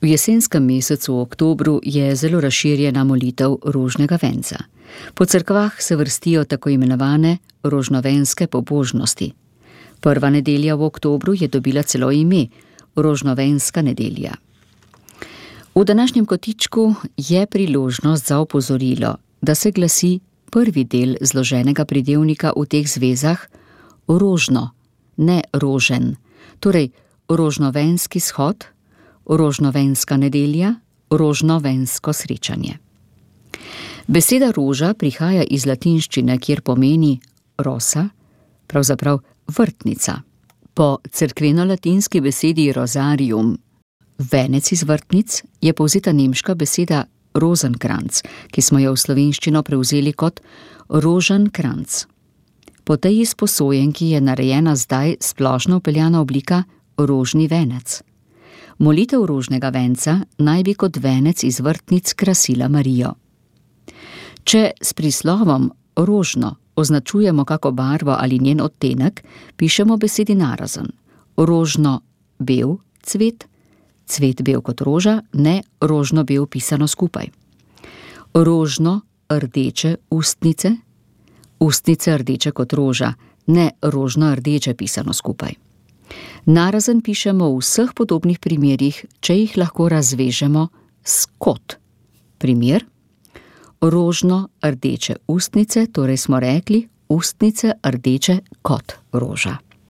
V jesenskem mesecu oktobru je zelo razširjena molitev rožnega venca. Po cerkvah se vrstijo tako imenovane rožnovenske pobožnosti. Prva nedelja v oktobru je dobila celo ime rožnovenska nedelja. V današnjem kotičku je priložnost za opozorilo, da se glasi prvi del zloženega pridevnika v teh zvezah rožno, ne rožen, torej rožnovenski shod, rožnovenska nedelja, rožnovensko srečanje. Beseda roža prihaja iz latinščine, kjer pomeni rosa, pravzaprav vrtnica. Po cerkveno-latinski besedi rosarium, venec iz vrtnic, je povzeta nemška beseda rozenkranz, ki smo jo v slovenščino prevzeli kot roženkranz. Po tej izposojenki je narejena zdaj splošno vpeljana oblika rožni venec. Molitev rožnega venca naj bi kot venec iz vrtnic krasila Marijo. Če s prislovom rožno označujemo kako barvo ali njen odtenek, pišemo besedi narazen. Rožno bel cvet, cvet bel kot roža, ne rožno bel pisano skupaj. Rožno rdeče ustnice, ustnice rdeče kot roža, ne rožno rdeče pisano skupaj. Narazen pišemo v vseh podobnih primerih, če jih lahko razvežemo s kot. Primer: rožno rdeče ustnice, torej smo rekli ustnice rdeče kot roža.